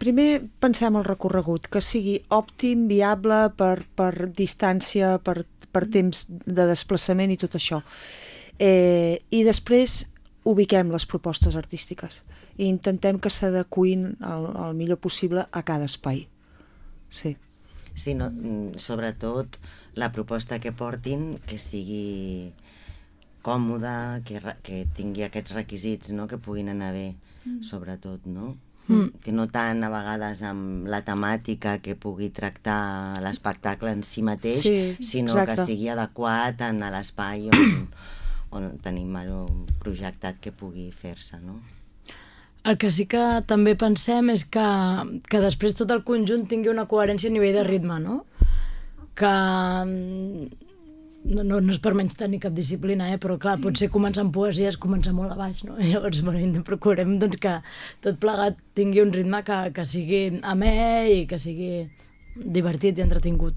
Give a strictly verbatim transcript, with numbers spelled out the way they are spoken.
primer pensem el recorregut, que sigui òptim, viable per, per distància, per, per temps de desplaçament i tot això. Eh, I després ubiquem les propostes artístiques i intentem que s'adequin el, el millor possible a cada espai. Sí. Sí, no, sobretot la proposta que portin que sigui còmoda, que, que tingui aquests requisits, no?, que puguin anar bé, mm. sobretot, no? Mm. Que no tant a vegades amb la temàtica que pugui tractar l'espectacle en si mateix, sí, sinó exacte. Que sigui adequat en l'espai on, on tenim projectat que pugui fer-se, no? El que sí que també pensem és que, que després tot el conjunt tingui una coherència a nivell de ritme, no? Que no, no, no és per menys tenir cap disciplina, eh? Però clar, sí. Potser començar amb poesia és començar molt a baix, no? I llavors bueno, procurem doncs, que tot plegat tingui un ritme que, que sigui amè i que sigui divertit i entretingut.